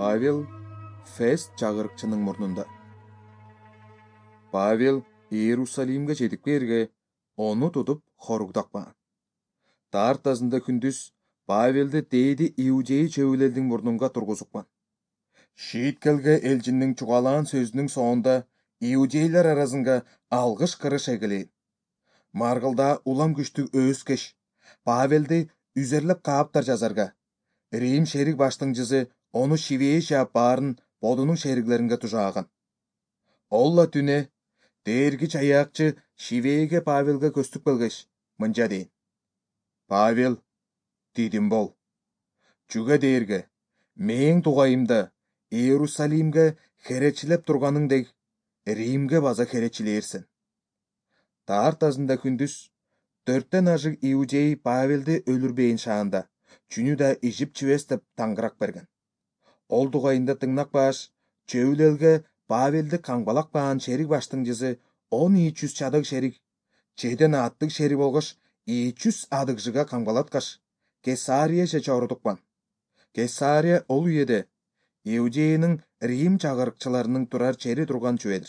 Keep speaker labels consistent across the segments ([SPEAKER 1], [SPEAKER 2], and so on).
[SPEAKER 1] Павел Фест чагырыкчынын мурнунда. Павел Иерусалимге жетип келге, ону тутуп хоругдакпаган. Тартасында күндүз Павелди дээди иудей чөбүлердин мурнунга тургузукпан. Шийиткелге элчиндин чугаалаан сөзүнүн соонда иудейлер арасынга алгыш кырыш эгелейин. Маргылда улам күчтүү өөскеш Павелди үзерлеп кааптар жазарга. Рим шерик баштыңчысы ону шибее жаап баарын бодунун шериглеринге тужааган. Олла түнө дээргич аяакчы шибееге Павелге көстүп келгеш, мынча дейин: Павел, дидим бол. Чүгө дээрге, мээң тугайымда Иерусалимге херечилеп турганыңдек, Римге база херечилээрсен. Тартасында күндүз 4тен ашык иудей Павелди өлүрбейин шаанда, чүнү да ижип чибес деп таңгырак берген. Ол тугайында тыңнакпаш, чөбүл элге Павелди каңбалакпаган шерик баштыңчысы 10 чадык шерик, чеден аттык шерик болгош 200 адыгжыга каңбалаткаш, Кесарияже чорудукпан. Кесария ол үйеде Иудеянын Рим чагырыкчыларынын турар чери турган чүбедир.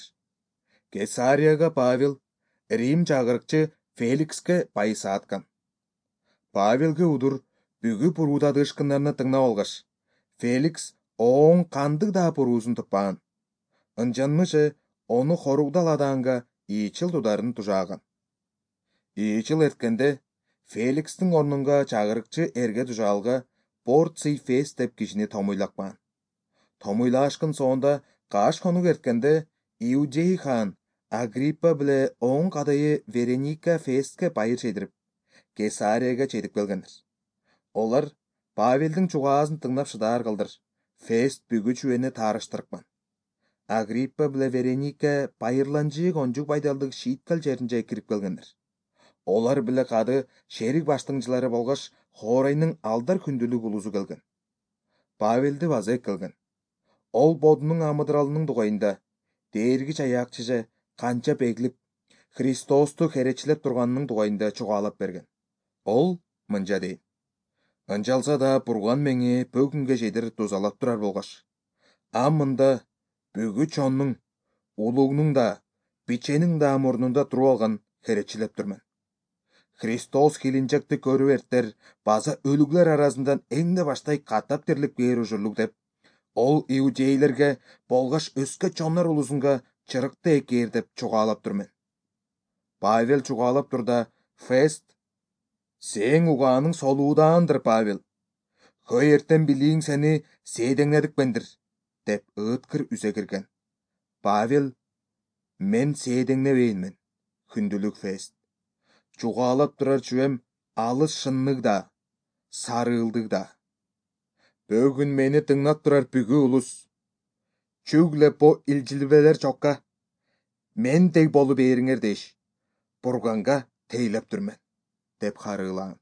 [SPEAKER 1] Кесарияга Павел Рим чагырыкчы Феликске пайыса аткан. Павелге удур бүгүп урууда ышкындарына тыңнап алгаш, Феликс оң кандык да уруусун туппаган. Ынчанмышы ону хоругдаладаанга ичил тударын тужааган. Ичил эрткенде Феликстин орнунга чагырыкчы эрге тужаалга Порций Фест деп кишини томуйлакпаган. Томуйлаашкын соонда каш конук эрткенде Иудей хаан Агриппа биле оң кадайы Вереника Фестке байыр чейдирип, Кесарияга жетип келгендир. Олар Павелдин чугаасын тыңнап шыдаар кылдыр. Фест бүгү чүбени таарыштырыкпан. Агриппа биле Вереника байырланчык онжук байдалдык шийиткел жеринже кирип келгендир. Олар биле кады шерик баштыңчылары болгош Хорайнын алдар күндүлүк улусу келген. Павелди база келген. Ол бодунун амыдыралынын тугайында дээргич аяакчыже канча бегилип Христосту херечилеп турганынын тугайында чугаалап берген. Ол мынча дейин: Ынчалса да бурган мени бөгүнгө чейдир тузалап турар болгош. Мында бүгү чоннуң, улугнуң да, биченин да мурнунда туруп алган херечилеп турмун. Христос хилинчекти көрүп эртер база өлүглөр арасынан эң да баштай каттап тирилип кээр ужурлук деп, ол иудейлерге болгош өскө чоннор улусунга чырыкты экээр деп чугаалап турмун. Павел чугаалап турда Фест: Сең угааның солуудаандыр, Павел. Хөй эртен билиң сени сээдеңнедикпендир, деп ыыткыр үзе кирген. Павел: Мен сээдеңнебейинмин, күндүлүк Фест. Чугаалап турар чүбем алыс шыннык да, сарыылдык да. Бөгүн мени тыңнап турар бүгү улус. Чүгле бо илжилбелер чокка мендей болу бериңер деш, бурганга тейлеп турмун, деп харыылаан.